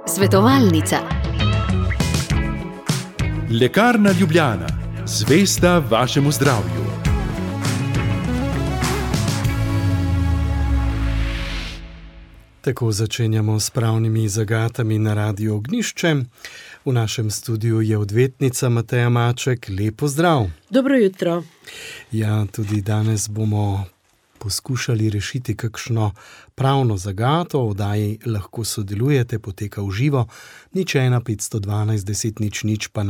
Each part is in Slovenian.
Svetovalnica. Lekarna Ljubljana, zvesta vašemu zdravju. Tako začenjamo s pravnimi zagatami na Radiu Ognjišče. V našem studiu je odvetnica Mateja Maček. Lep pozdrav. Dobro jutro. Ja, tudi danes bomo poskušali rešiti kakšno pravno zagato. V oddaji lahko sodelujete, poteka v živo. 01 512 10 00 pa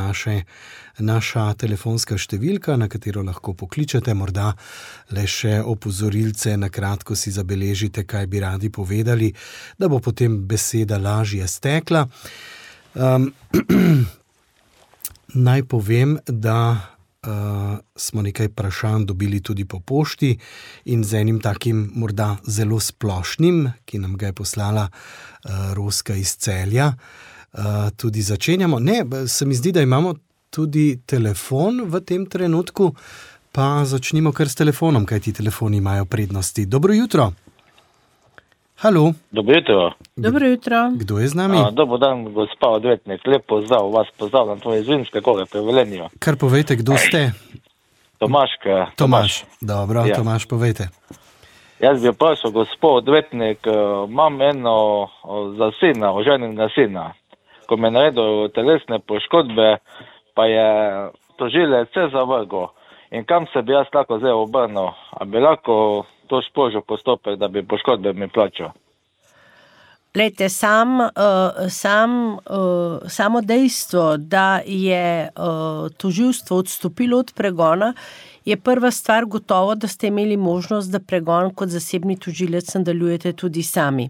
naša telefonska številka, na katero lahko pokličete. Morda le še opozorilce, na kratko si zabeležite, kaj bi radi povedali, da bo potem beseda lažje stekla. Naj povem, da smo nekaj vprašanj dobili tudi po pošti in z enim takim morda zelo splošnim, ki nam ga je poslala Roska iz Celja. Tudi začenjamo. Ne, se mi zdi, da imamo tudi telefon v tem trenutku, pa začnimo kar s telefonom, kaj ti telefoni imajo prednosti. Dobro jutro. Halo. Dobro jutro. Dobro jutro. Kdo je z nami? Dobar dan, gospa odvetnik. Lep pozdrav, vas pozdravljam, to je iz Vinske Gore pri Velenju. Kar povejte, kdo ste? Tomaš. Dobro, ja. Tomaš, povejte. Jaz bi vprašal, gospod odvetnik, imam eno za sina, oženjenega sina. Ko me je naredil telesne poškodbe, pa je tožilec vse zavrgel. In kam se bi jaz lahko zdaj obrnil? A bi lahko to sprožil postopek, da bi poškodbe mi plačal? Glejte, samo dejstvo, da je tožilstvo odstopilo od pregona, je prva stvar gotovo, da ste imeli možnost, da pregon kot zasebni tožilec nadaljujete tudi sami.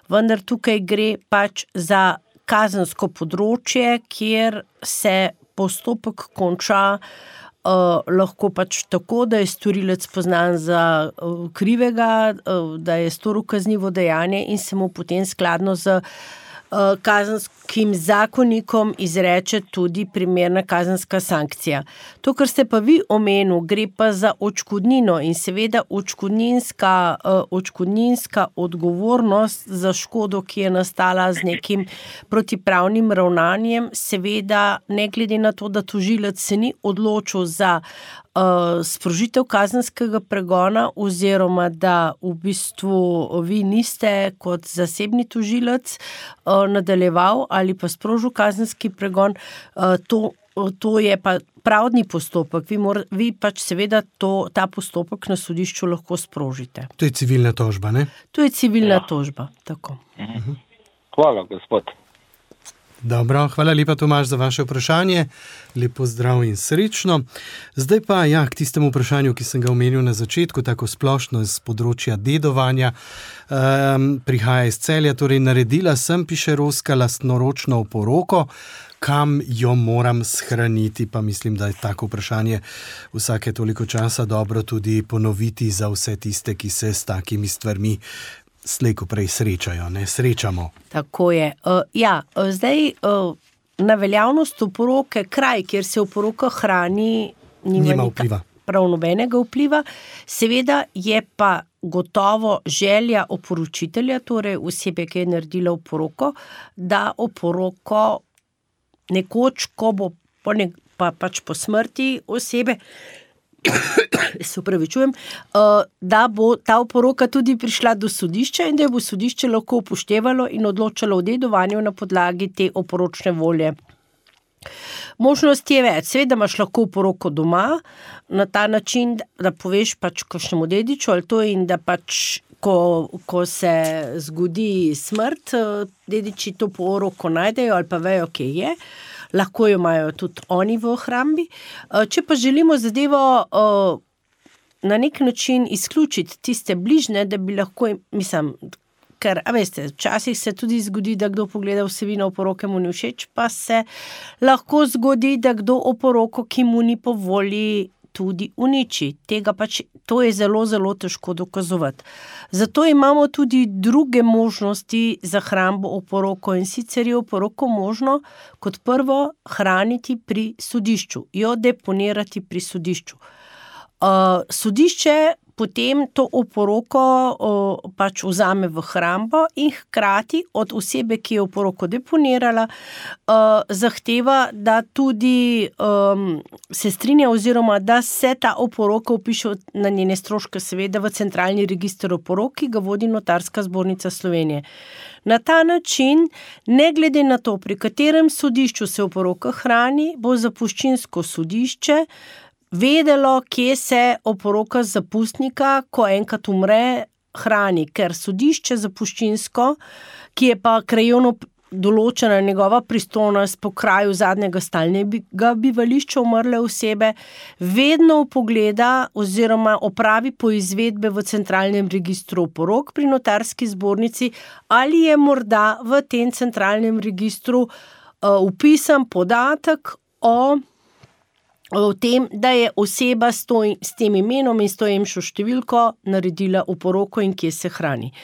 Vendar tukaj gre pač za kazensko področje, kjer se postopek konča lahko pač tako, da je storilec poznan za krivega, da je storil kaznivo dejanje in se mu potem skladno z kazenskim zakonikom izreče tudi primerna kazenska sankcija. To, kar ste pa vi omenil, gre pa za odškodnino in seveda odškodninska odgovornost za škodo, ki je nastala z nekim protipravnim ravnanjem, seveda ne glede na to, da tožilec se ni odločil za sprožitev kazenskega pregona oziroma da v bistvu vi niste kot zasebni tožilec nadaljeval ali pa sprožil kazenski pregon, to je pa pravdni postopek. Vi pač seveda ta postopek na sodišču lahko sprožite. To je civilna tožba, ne? To je civilna tožba, tako. Hvala, gospod. Dobro, hvala lepa, Tomaž, za vaše vprašanje. Lepo zdrav in srečno. Zdaj pa k tistemu vprašanju, ki sem ga omenil na začetku, tako splošno z področja dedovanja. Prihaja iz Celja, torej naredila sem, piše Roska, lastnoročno oporoko, kam jo moram shraniti, pa mislim, da je tako vprašanje vsake toliko časa dobro tudi ponoviti za vse tiste, ki se s takimi stvarmi slejko prej srečamo. Tako je. Zdaj na veljavnost oporoke, kraj, kjer se oporoka hrani, nima vpliva. Prav nobenega vpliva. Seveda je pa gotovo želja oporočitelja, torej osebe, ki je naredila oporoko, da oporoko nekoč, ko bo pač po smrti osebe, se upravičujem, da bo ta oporoka tudi prišla do sodišča in da bo sodišče lahko upoštevalo in odločalo o dedovanju na podlagi te oporočne volje. Možnost je več. Seveda imaš lahko oporoko doma, na ta način, da poveš pač kakšnemu dediču ali to in da pač ko se zgodi smrt, dediči to oporoko najdejo ali pa vejo, kje je. Lahko jo imajo tudi oni v hrambi. Če pa želimo zadevo na nek način izključiti tiste bližne, da bi lahko, ker, veste, včasih se tudi zgodi, da kdo pogleda vsebino oporoke, mu ni všeč, pa se lahko zgodi, da kdo oporoko, ki mu ni po volji, tudi uniči. To je zelo, zelo težko dokazovati. Zato imamo tudi druge možnosti za hrambo oporoko in sicer je oporoko možno kot prvo hraniti pri sodišču, jo deponirati pri sodišču. Sodišče potem to oporoko pač vzame v hrambo in hkrati od osebe, ki je oporoko deponirala, zahteva, da tudi se strinja oziroma da se ta oporoka vpiše na njene stroške seveda v centralni register oporok, ki ga vodi Notarska zbornica Slovenije. Na ta način, ne glede na to, pri katerem sodišču se oporoka hrani, bo zapuščinsko sodišče vedelo, kje se oporoka zapustnika, ko enkrat umre, hrani, ker sodišče zapuščinsko, ki je pa krajevno določena njegova pristojnost po kraju zadnjega stalnega bivališča umrle osebe, vedno vpogleda oziroma opravi poizvedbe v centralnem registru oporok pri Notarski zbornici, ali je morda v tem centralnem registru vpisan podatek o tem, da je oseba s tem imenom in s to emšo številko naredila oporoko in kje se hrani.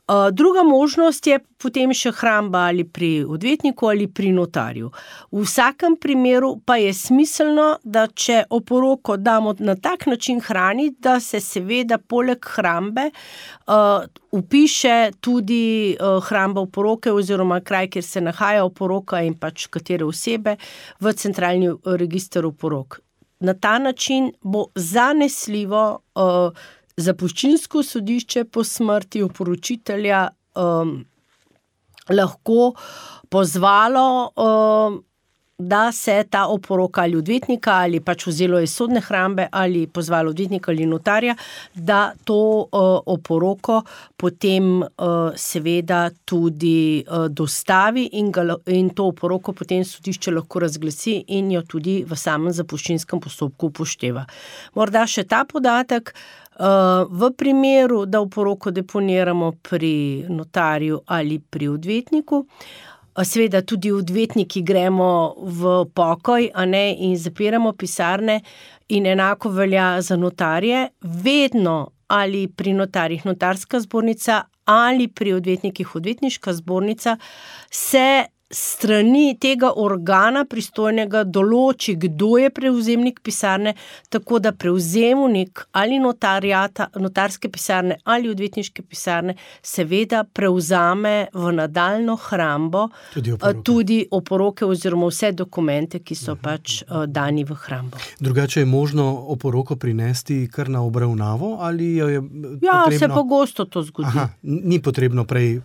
Druga možnost je potem še hramba ali pri odvetniku ali pri notarju. V vsakem primeru pa je smiselno, da če oporoko damo na tak način hraniti, da se seveda poleg hrambe vpiše tudi hramba oporoke oziroma kraj, kjer se nahaja oporoka in pač katere osebe v centralni register oporok. Na ta način bo zanesljivo zapuščinsko sodišče po smrti oporočitelja lahko pozvalo, da se ta oporoka ali odvetnika ali pač vzelo iz sodne hrambe ali pozvalo odvetnika ali notarja, da to oporoko potem seveda tudi dostavi in to oporoko potem sodišče lahko razglasi in jo tudi v samem zapuščinskem postopku upošteva. Morda še ta podatek, v primeru, da oporoko deponiramo pri notarju ali pri odvetniku, seveda tudi odvetniki gremo v pokoj, a ne, in zapiramo pisarne in enako velja za notarje, vedno ali pri notarjih Notarska zbornica ali pri odvetnikih Odvetniška zbornica se strani tega organa pristojnega določi, kdo je prevzemnik pisarne, tako da prevzemnik ali notarske pisarne ali odvetniške pisarne seveda prevzame v nadaljno hrambo tudi oporoke oziroma vse dokumente, ki so pač dani v hrambo. Drugače je možno oporoko prinesti kar na obravnavo ali jo je potrebno? Ja, se pogosto to zgodi. Aha, ni potrebno prej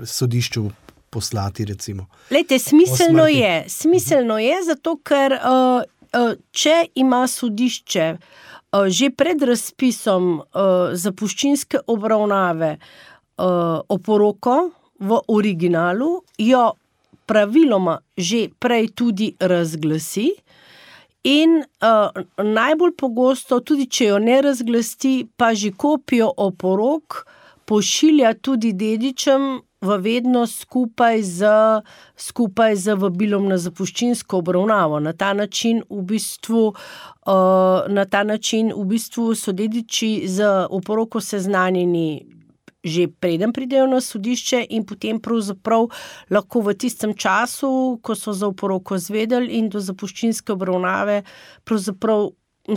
sodišču poslati, recimo. Lejte, smiselno je, zato ker če ima sodišče že pred razpisom zapuščinske obravnave oporoko v originalu, jo praviloma že prej tudi razglasi in najbolj pogosto, tudi če jo ne razglasi, pa že kopijo oporok pošilja tudi dedičem v vednost skupaj z vabilom na zapuščinsko obravnavo. Na ta način v bistvu so dediči z oporoko seznanjeni že preden pridejo na sodišče in potem pravzaprav lahko v tistem času, ko so za oporoko zvedeli in do zapuščinske obravnave, pravzaprav,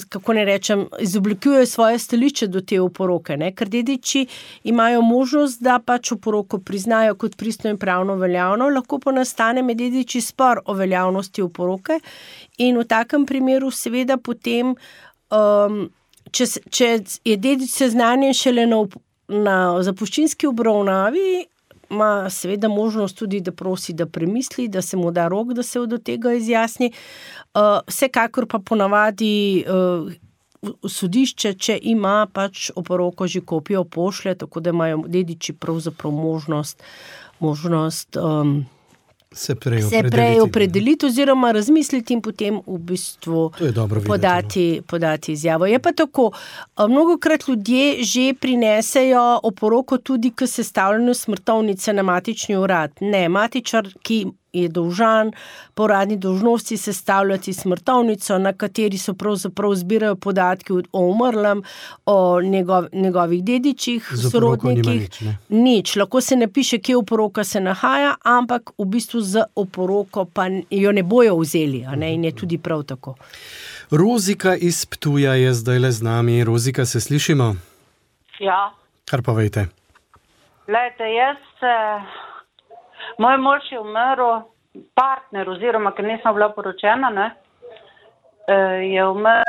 kako ne rečem, izoblikujejo svoje stališče do te oporoke, ne? Ker dediči imajo možnost, da pač oporoko priznajo kot pristno in pravno veljavno, lahko pa nastane med dediči spor o veljavnosti oporoke in v takem primeru seveda potem, če je dedič seznanjen šele na zapuščinski obravnavi, ima seveda možnost tudi, da prosi, da premisli, da se mu da rok, da se do tega izjasni. Vsekakor pa ponavadi sodišče, če ima pač oporoko že kopijo, pošlje, tako da imajo dediči pravzaprav možnost se prej opredeliti oziroma razmisliti in potem v bistvu podati izjavo. Je pa tako, mnogokrat ljudje že prinesejo oporoko tudi k sestavljanju smrtovnice na matični urad. Ne, matičar, ki je dolžan po uradni dolžnosti sestavljati smrtovnico, na kateri so pravzaprav zbirajo podatki o umrlem, o njegovih dedičih, sorodnikih. Nič. Lahko se napiše, kje oporoka se nahaja, ampak v bistvu z oporoko pa jo ne bojo vzeli, a ne, in je tudi prav tako. Rozika iz Ptuja je zdajle z nami. Rozika, se slišimo? Ja. Kar pa vejte? Glejte, moj mož je umrl, partner oziroma, ker nisem bila poročena, ne, je umrl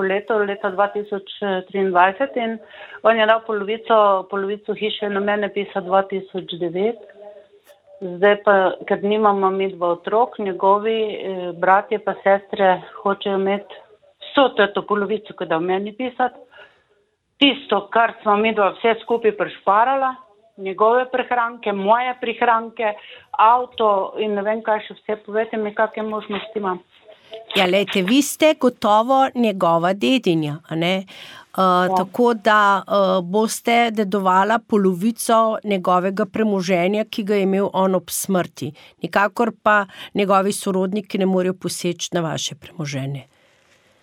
leta 2023 in on je dal polovico hiše na mene pisa 2009. Zdaj pa, ker nimamo mi dva otrok, njegovi bratje pa sestre hočejo imeti vso to polovico, ko da v meni pisati. Tisto, kar smo mi dva vse skupaj prešparala, njegove prihranke, moje prihranke, avto in ne vem kaj še vse, povejte mi, kakšne možnosti imam. Ja, lejte, vi ste gotovo njegova dedinja, a ne? Tako da boste dedovala polovico njegovega premoženja, ki ga je imel on ob smrti. Nikakor pa njegovi sorodniki ne morejo poseči na vaše premoženje.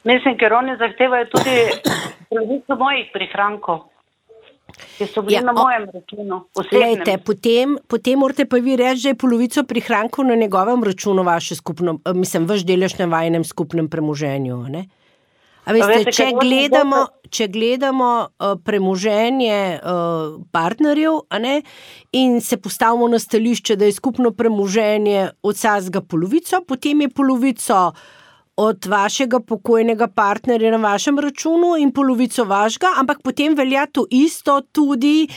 Mislim, ker oni zahtevajo tudi polovico mojih prihrankov, ki so bili na mojem računu. Lejte, potem morate pa vi reči, da je polovico prihrankov na njegovem računu vaš delež na vajinem skupnem premoženju, ne? A veste, če gledamo premoženje partnerjev, a ne, in se postavimo na stališče, da je skupno premoženje od vsakega polovico, potem je polovico od vašega pokojnega partnerja na vašem računu in polovico vašega, ampak potem velja to isto tudi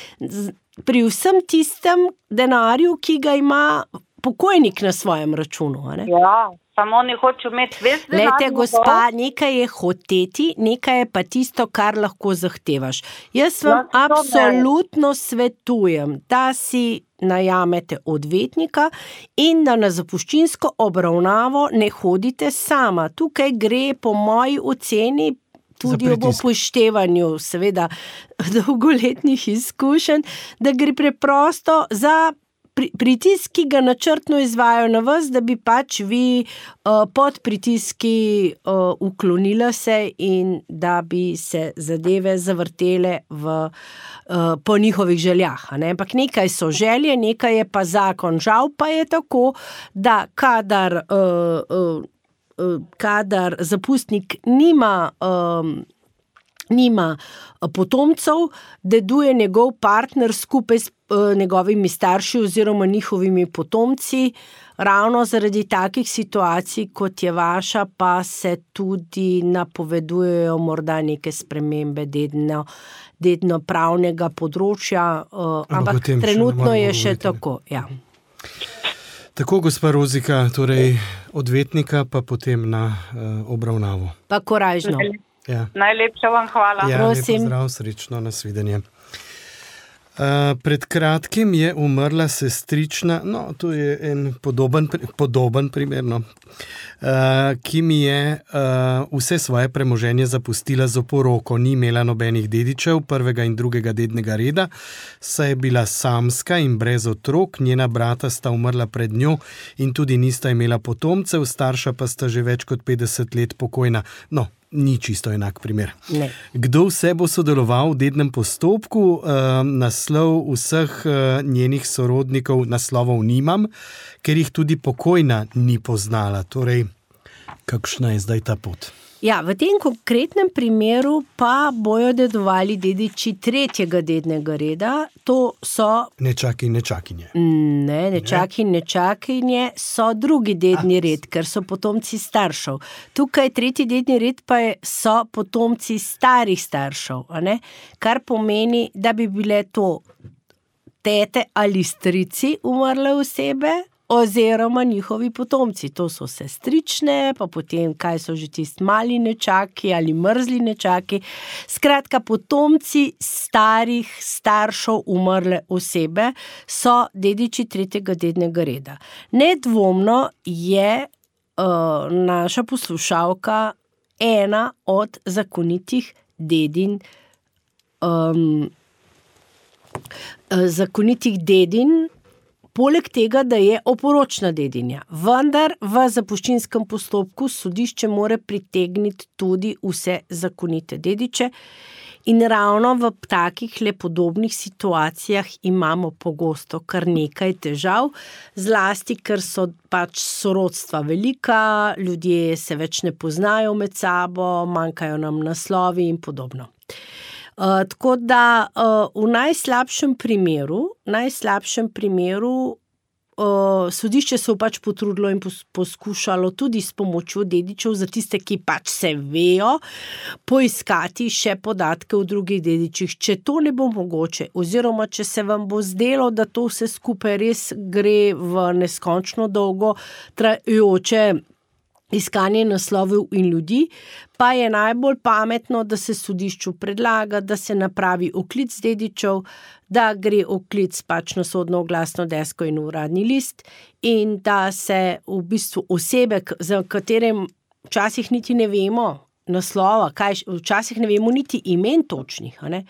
pri vsem tistem denarju, ki ga ima pokojnik na svojem računu, a ne? Ja, samo oni hočejo imeti ves denar. Lejte, gospa, nekaj je hoteti, nekaj je pa tisto, kar lahko zahtevaš. Jaz vam absolutno svetujem, da si najamete odvetnika in da na zapuščinsko obravnavo ne hodite sama. Tukaj gre po moji oceni tudi ob upoštevanju seveda dolgoletnih izkušenj, da gre preprosto za pritisk, ki ga načrtno izvajajo na vas, da bi pač vi pod pritiski uklonila se in da bi se zadeve zavrtele po njihovih željah. Ne? Ampak nekaj so želje, nekaj je pa zakon. Žal pa je tako, da kadar zapustnik nima potomcev, deduje njegov partner skupaj s njegovimi starši oziroma njihovimi potomci. Ravno zaradi takih situacij, kot je vaša, pa se tudi napovedujejo morda neke spremembe dedno pravnega področja, ampak trenutno je še tako. Ja. Tako, gospa Rozika, torej odvetnika pa potem na obravnavo. Pa korajžno. Ja. Najlepša vam hvala. Ja, lepo zdrav, srečno, nasvidenje. Pred kratkim je umrla sestrična, no, to je en podoben primer, no, ki mi je vse svoje premoženje zapustila z oporoko. Ni imela nobenih dedičev prvega in drugega dednega reda, saj je bila samska in brez otrok, njena brata sta umrla pred njo in tudi nista imela potomcev, starša pa sta že več kot 50 let pokojna. No, ni čisto enak primer. Ne. Kdo vse bo sodeloval v dednem postopku? Naslov vseh njenih sorodnikov naslovov nimam, ker jih tudi pokojna ni poznala. Torej, kakšna je zdaj ta pot? Ja, v tem konkretnem primeru pa bojo dedovali dediči tretjega dednega reda. To so... Nečaki in nečakinje. Ne, nečaki in nečakinje so drugi dedni red, ker so potomci staršev. Tukaj tretji dedni red pa so potomci starih staršev, a ne? Kar pomeni, da bi bile to tete ali strici umrle osebe, oziroma njihovi potomci. To so sestrične, pa potem kaj so že tisti mali nečaki ali mrzli nečaki. Skratka, potomci starih staršev umrle osebe so dediči tretjega dednega reda. Nedvomno je naša poslušalka ena od zakonitih dedin poleg tega, da je oporočna dedinja. Vendar v zapuščinskem postopku sodišče mora pritegniti tudi vse zakonite dediče in ravno v takih podobnih situacijah imamo pogosto kar nekaj težav, zlasti, ker so pač sorodstva velika, ljudje se več ne poznajo med sabo, manjkajo nam naslovi in podobno. Tako da v najslabšem primeru sodišče se pač potrudilo in poskušalo tudi s pomočjo dedičev za tiste, ki pač se vejo, poiskati še podatke o drugih dedičih. Če to ne bo mogoče, oziroma če se vam bo zdelo, da to vse skupaj res gre v neskončno dolgo trajajoče iskanje naslovov in ljudi, pa je najbolj pametno, da se sodišču predlaga, da se napravi oklic dedičev, da gre oklic pač na sodno oglasno desko in uradni list in da se v bistvu osebe, za katerem včasih niti ne vemo naslova, včasih ne vemo niti imen točnih. Ne?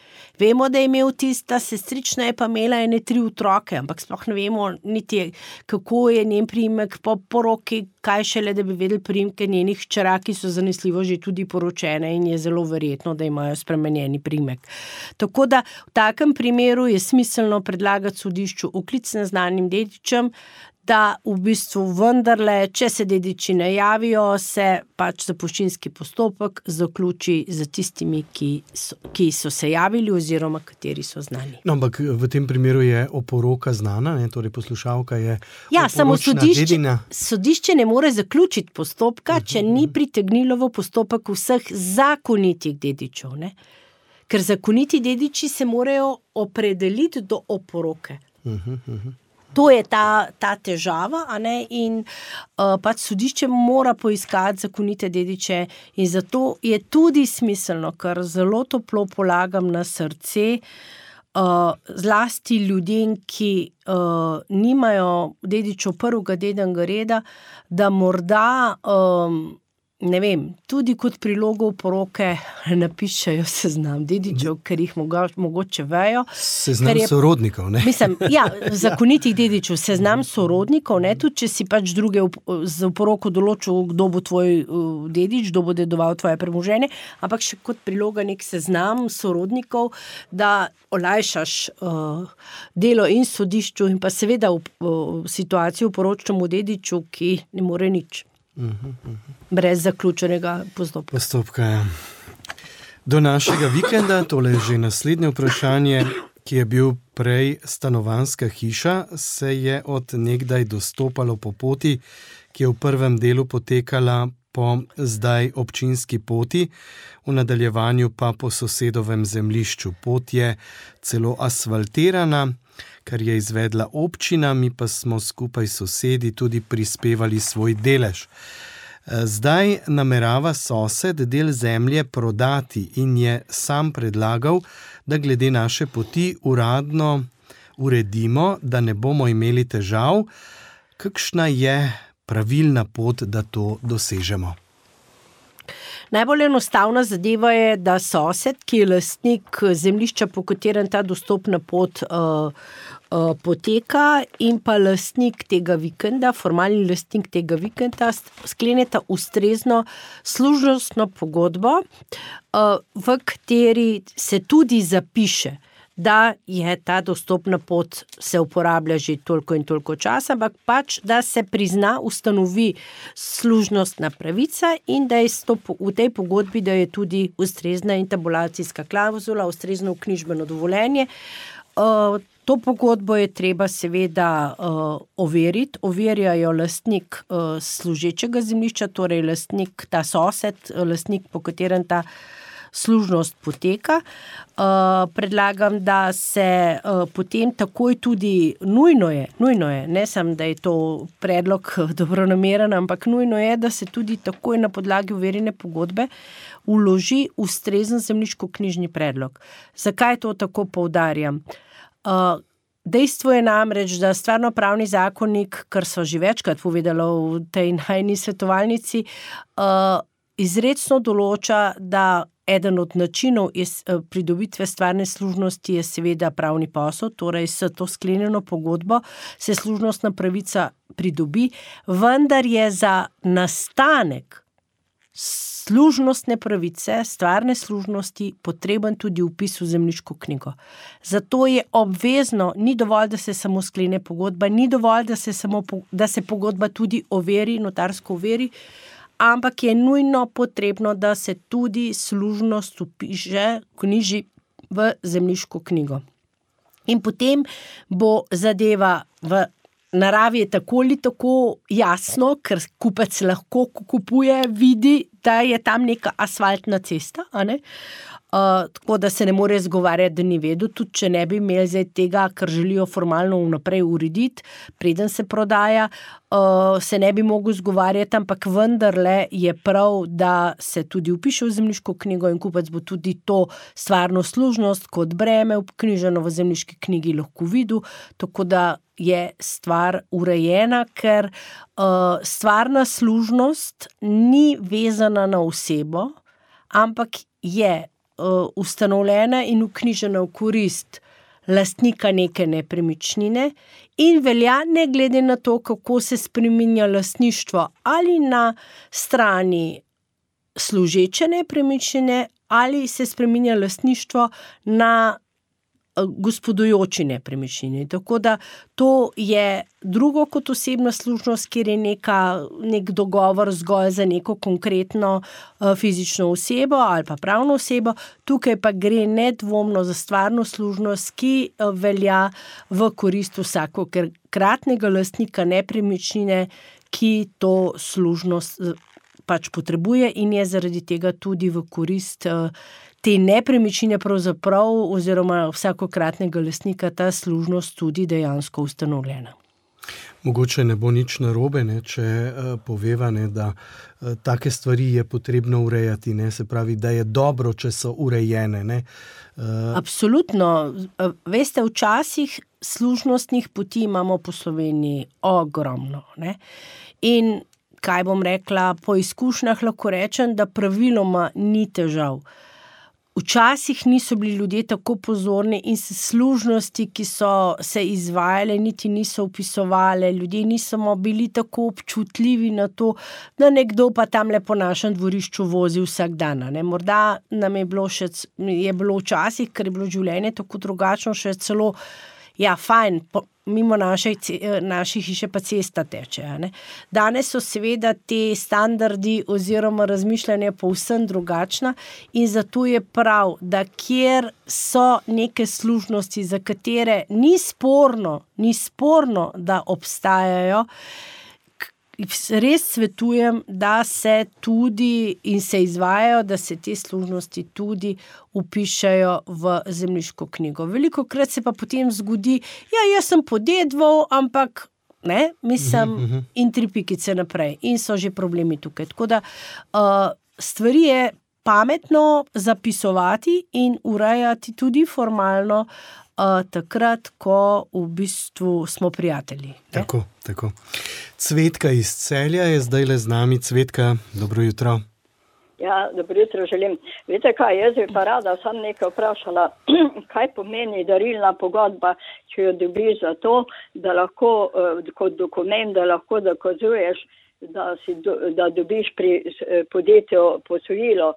Vemo, da je imel tista sestrična, je pa imela 3 otroke, ampak sploh ne vemo niti, kako je njen priimek po poroki, kaj šele, da bi vedeli priimke njenih hčera, ki so zanesljivo že tudi poročene in je zelo verjetno, da imajo spremenjeni priimek. Tako da v takem primeru je smiselno predlagati sodišču oklic neznanim dedičem, da v bistvu vendarle, če se dediči ne javijo, se pač zapuščinski postopek zaključi za tistimi, ki so se javili oziroma kateri so znani. No, ampak v tem primeru je oporoka znana, ne? Torej poslušalka je samo sodišče ne more zaključiti postopka, če ni pritegnilo v postopek vseh zakonitih dedičev. Ne? Ker zakoniti dediči se morajo opredeliti do oporoke. To je ta težava, a ne? In pač sodišče mora poiskati zakonite dediče in zato je tudi smiselno, ker zelo toplo polagam na srce, zlasti ljudem, ki nimajo dedičev prvega dednega reda, da morda ne vem, tudi kot prilogo v poroke napišejo seznam dedičev, ker jih mogoče vejo. Seznam sorodnikov, ne? Mislim, zakonitih dedičev, seznam sorodnikov, ne, tudi če si pač druge z poroko določil, kdo bo tvoj dedič, kdo bo dedoval tvoje premoženje, ampak še kot priloga nek seznam sorodnikov, da olajšaš delo in sodišču in pa seveda v situaciji v poročnemu dediču, ki ne more nič. Brez zaključenega postopka. Ja. Do našega vikenda, tole je že naslednje vprašanje, ki je bil prej stanovanjska hiša, se je od nekdaj dostopalo po poti, ki je v prvem delu potekala po zdaj občinski poti, v nadaljevanju pa po sosedovem zemljišču. Pot je celo asfaltirana, kar je izvedla občina, mi pa smo skupaj s sosedi tudi prispevali svoj delež. Zdaj namerava sosed del zemlje prodati in je sam predlagal, da glede naše poti uradno uredimo, da ne bomo imeli težav. Kakšna je pravilna pot, da to dosežemo? Najbolj enostavna zadeva je, da sosed, ki je lastnik zemljišča, po katerem ta dostopna pot poteka, in pa lastnik tega vikenda, formalni lastnik tega vikenda, skleneta ustrezno služnostno pogodbo, v kateri se tudi zapiše, da je ta dostopna pot se uporablja že toliko in toliko časa, ampak pač, da se prizna, ustanovi služnostna pravica in da je v tej pogodbi, da je tudi ustrezna intabulacijska klavzula, ustrezno vknjižbeno dovoljenje. To pogodbo je treba seveda overiti. Overjajo lastnik služečega zemljišča, torej lastnik, ta sosed, lastnik, po katerem ta služnost poteka. Predlagam, da se potem takoj tudi nujno je, ne samo, da je to predlog dobronameren, ampak nujno je, da se tudi takoj na podlagi overjene pogodbe vloži ustrezen zemljiško-knjižni predlog. Zakaj to tako poudarjam? Dejstvo je namreč, da stvarnopravni zakonik, kar so že večkrat povedala v tej najni svetovalnici, izrecno določa, da eden od načinov pridobitve stvarne služnosti je seveda pravni posel, torej s to sklenjeno pogodbo se služnostna pravica pridobi, vendar je za nastanek služnostne pravice, stvarne služnosti potreben tudi vpis v zemljiško knjigo. Zato je obvezno, ni dovolj, da se samo sklene pogodba, ni dovolj, da se pogodba tudi overi, notarsko overi, ampak je nujno potrebno, da se tudi služnost vpiše, knjiži v zemljiško knjigo. In potem bo zadeva v naravi je tako ali tako jasno, ker kupec lahko, ko kupuje, vidi, da je tam neka asfaltna cesta, a ne? Tako da se ne more zgovarjati, da ni vedel, tudi če ne bi imeli zdaj tega, ker želijo formalno vnaprej urediti, preden se prodaja, se ne bi mogel zgovarjati, ampak vendarle je prav, da se tudi vpiše v zemljiško knjigo in kupec bo tudi to stvarno služnost kot breme vknjiženo v zemljiški knjigi lahko videl, tako da je stvar urejena, ker stvarna služnost ni vezana na osebo, ampak je ustanovljena in vknjižena v korist lastnika neke nepremičnine in velja ne glede na to, kako se spreminja lastništvo ali na strani služeče nepremičnine ali se spreminja lastništvo na gospodujoči nepremičnini. Tako da to je drugo kot osebna služnost, kjer je nek dogovor zgolj za neko konkretno fizično osebo ali pa pravno osebo. Tukaj pa gre nedvomno za stvarno služnost, ki velja v korist vsakokratnega lastnika nepremičnine, ki to služnost pač potrebuje in je zaradi tega tudi v korist te nepremičnine pravzaprav oziroma vsakokratnega lastnika ta služnost tudi dejansko ustanovljena. Mogoče ne bo nič narobe, ne, če poveva, ne, da take stvari je potrebno urejati, ne, se pravi, da je dobro, če so urejene. Ne. Absolutno. Veste, včasih služnostnih poti imamo po Sloveniji ogromno. Ne. In kaj bom rekla, po izkušnjah lahko rečem, da praviloma ni težav. Včasih niso bili ljudje tako pozorni in se služnosti, ki so se izvajale, niti niso vpisovale, ljudje niso bili tako občutljivi na to, da nekdo pa tamle po našem dvorišču vozi vsak dan. Ne? Morda nam je bilo včasih, ker je bilo življenje tako drugačno, še celo, ja, fajn, mimo naše hiše pa cesta teče. Ne? Danes so seveda te standardi oziroma razmišljanje povsem drugačna in zato je prav, da kjer so neke služnosti, za katere ni sporno, da obstajajo, res svetujem, da se tudi in se izvajajo, da se te služnosti tudi vpišajo v zemljiško knjigo. Velikokrat se pa potem zgodi, jaz sem podedval, ampak ne, mislim, in 3 pikice naprej in so že problemi tukaj. Tako da stvari je pametno zapisovati in urejati tudi formalno takrat, ko v bistvu smo prijatelji. Tako. Cvetka iz Celja je zdajle z nami. Cvetka, dobro jutro. Ja, dobro jutro želim. Veste kaj, jaz bi pa rada sam nekaj vprašala, kaj pomeni darilna pogodba, če jo dobiš za to, da lahko kot dokument, da lahko dokazuješ, da dobiš pri podjetju posojilo,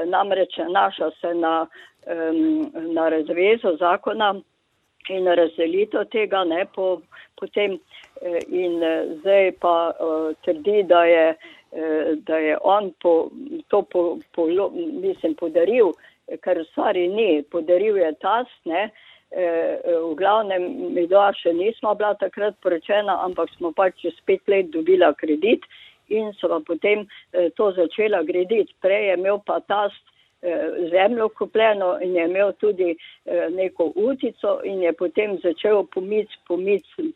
namreč naša se na razvezo zakona in razdelitev tega, ne, potem in zdaj pa trdi, da je on podaril, ker stvari ni, podaril je tast, ne, v glavnem mi še nismo bila takrat poročena, ampak smo pač čez 5 let dobila kredit in so pa potem to začela graditi. Prej je imel pa tast zemljo kupljeno in je imel tudi neko utico in je potem začel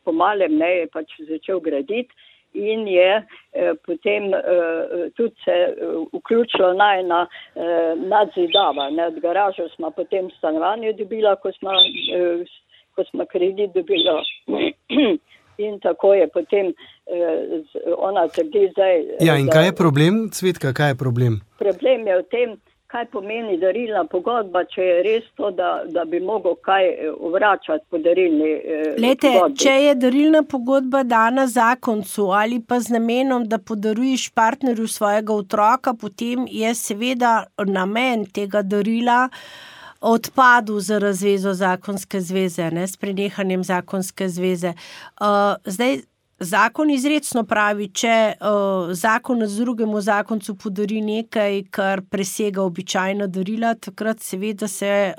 po malem, ne, je pač začel graditi in je potem tudi se vključilo najna nadzidava. Od garažo smo potem stanovanje dobila, ko smo kredit dobila. In tako je potem ona trdi zdaj... Ja, in kaj je problem, Cvetka, kaj je problem? Problem je v tem, kaj pomeni darilna pogodba, če je res to, da bi mogel kaj vračati po darilni pogodbi. Če je darilna pogodba dana zakoncu ali pa z namenom, da podaruješ partnerju svojega otroka, potem je seveda namen tega darila odpadel za razvezo zakonske zveze, ne, s prenehanjem zakonske zveze. Zdaj, zakon izrecno pravi, če zakonec drugemu zakoncu podari nekaj, kar presega običajna darila, takrat seveda se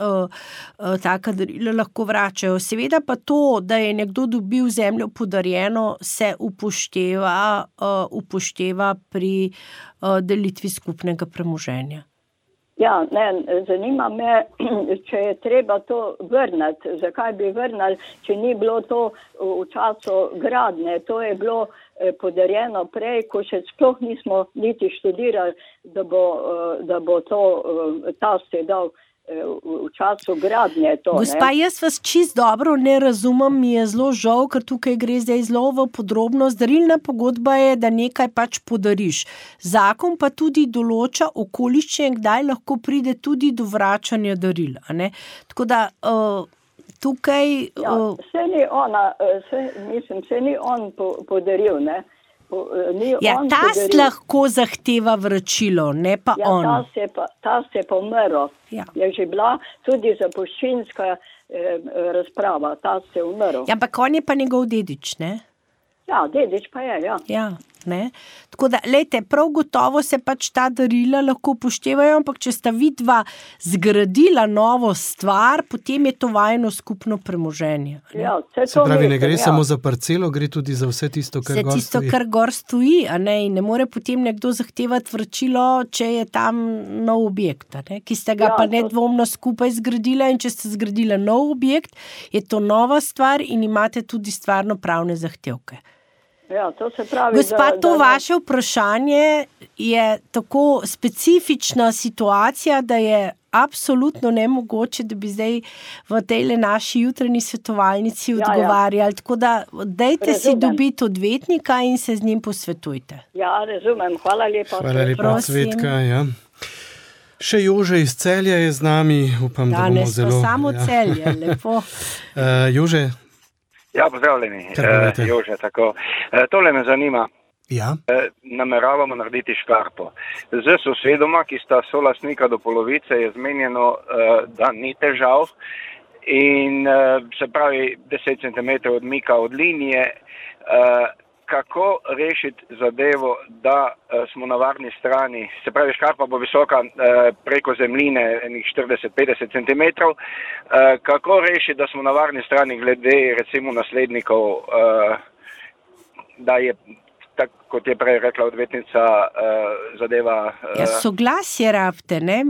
taka darila lahko vračajo. Seveda pa to, da je nekdo dobil zemljo podarjeno, se upošteva pri delitvi skupnega premoženja. Ja, zanima me, če je treba to vrniti. Zakaj bi vrnili, če ni bilo to v času gradnje? To je bilo podarjeno prej, ko še sploh nismo niti študirali, da bo to tast je dal v času gradnje. Gospa, jaz vas čisto dobro ne razumem, mi je zelo žal, ker tukaj gre zdaj zelo v podrobnost. Darilna pogodba je, da nekaj pač podariš. Zakon pa tudi določa okoliščine, kdaj lahko pride tudi do vračanja daril. Tako da tukaj... Se ni on podaril, ne? Tast lahko zahteva vračilo, ne pa on. Tast je pa umrl. Je že bila tudi zapuščinska razprava. Tast je umrl. Ampak on je pa njegov dedič, ne? Ja, dedič pa je, ja. Ne? Tako da, lejte, prav gotovo se pač ta darila lahko upoštevajo, ampak če sta vidva zgradila novo stvar, potem je to vajeno skupno premoženje. Se pravi, ne gre samo za parcelo, gre tudi za vse tisto, kar gor stoji. Vse tisto, kar gor stoji, in ne more potem nekdo zahtevati vračilo, če je tam nov objekt, ki ste ga pa nedvomno skupaj zgradila, in če ste zgradila nov objekt, je to nova stvar in imate tudi stvarno pravne zahtevke. Ja, to se pravi, gospa, to vaše vprašanje je tako specifična situacija, da je absolutno nemogoče, da bi zdaj v tej naši jutranji svetovalnici odgovarjali. Tako da dajte si dobiti odvetnika in se z njim posvetujte. Ja, razumem. Hvala lepa. Hvala lepa, Cvetka. Ja. Še Jože iz Celja je z nami. Upam, da bomo zelo... Danes pa samo Celje, lepo. Jože, ja, pozdravljeni, Jože, tako. Tole me zanima. Ja. Nameravamo narediti škarpo. Z sosedoma, ki sta solastnika do polovice, je zmenjeno, da ni težav in se pravi 10 cm odmika od linije. Kako rešiti zadevo, da smo na varni strani, se pravi škarpa bo visoka preko zemljine 40-50 cm, kako rešiti, da smo na varni strani glede recimo naslednikov, da je, tako kot je prej rekla odvetnica, zadeva... Soglasje rabite, ne?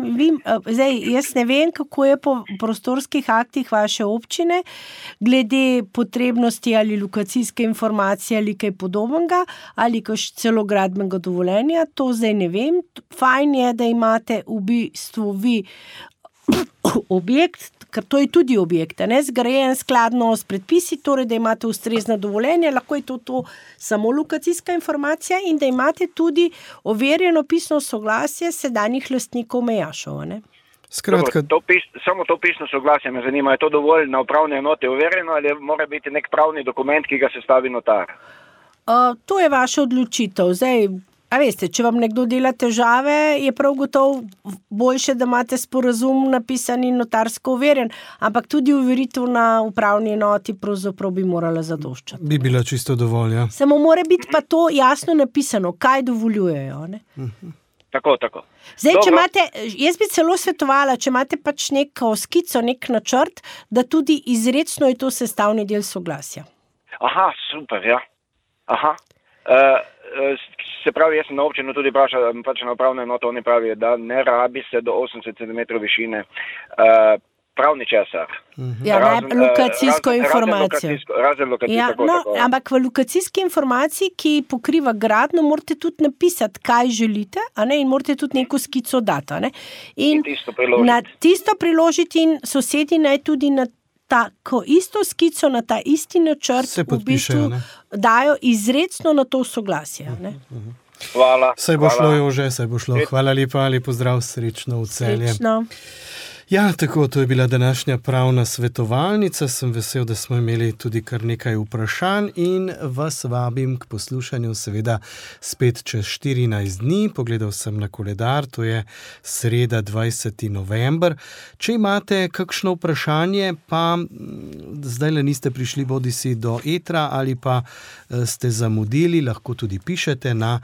Zdaj, jaz ne vem, kako je po prostorskih aktih vaše občine, glede potrebnosti ali lokacijske informacije ali kaj podobnega, ali celo gradbenega dovoljenja, to zdaj ne vem. Fajn je, da imate v bistvu vi objekt, ker to je tudi objekt, zgrajen skladno s predpisi, torej, da imate ustrezna dovoljenja, lahko je to samo lokacijska informacija in da imate tudi overjeno pisno soglasje sedanjih lastnikov mejašov, ne? Skratka... Samo to pisno soglasje me zanima, je to dovolj na upravne enote overjeno ali mora biti nek pravni dokument, ki ga sestavi notar? To je vaša odločitev. Zdaj, a veste, če vam nekdo dela težave, je prav gotovo boljše, da imate sporazum napisan in notarsko overjen, ampak tudi overitev na upravni enoti pravzaprav bi morala zadoščati. Bi bila čisto dovolj, ja. Samo mora biti pa to jasno napisano, kaj dovoljujejo, ne? Tako. Zdaj, če imate, jaz bi celo svetovala, če imate pač neko skico, nek načrt, da tudi izrecno je to sestavni del soglasja. Aha, super, ja. Aha. Se pravi, jaz sem na občinu tudi vprašal, pač na upravno enoto, oni pravijo, da ne rabi se do 80 cm višine pravni česar. Lokacijsko informacijo. Razen lokacijsko, tako. Ampak v lokacijski informaciji, ki pokriva gradnjo, morate tudi napisati, kaj želite, in morate tudi neko skico dati. In tisto priložiti in sosedi naj tudi na tako isto skico, na ta isti načrt v bistvu dajo izrecno na to soglasje. Hvala. Saj bo šlo, Jože, saj bo šlo. Hvala lepa, lepo zdrav, srečno v Celje. Srečno. Ja, tako, to je bila današnja pravna svetovalnica. Sem vesel, da smo imeli tudi kar nekaj vprašanj in vas vabim k poslušanju seveda spet čez 14 dni. Pogledal sem na koledar, to je sreda 20. november. Če imate kakšno vprašanje, pa zdaj le niste prišli bodisi do etra ali pa ste zamudili, lahko tudi pišete na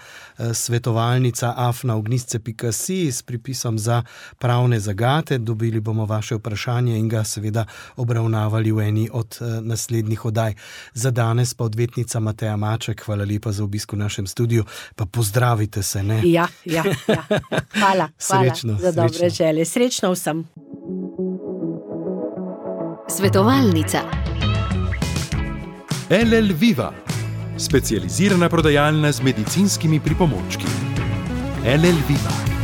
svetovalnica@ognisce.si s pripisom za pravne zagate. Dobili bomo vaše vprašanje in ga seveda obravnavali v eni od naslednjih oddaj. Za danes pa odvetnica Mateja Maček, hvala lepa za obisk v našem studiu, pa pozdravite se, ne? Ja. Hvala srečno, za dobre želje. Srečno vsem. Svetovalnica. LL Viva, specializirana prodajalna z medicinskimi pripomočki. LL Viva.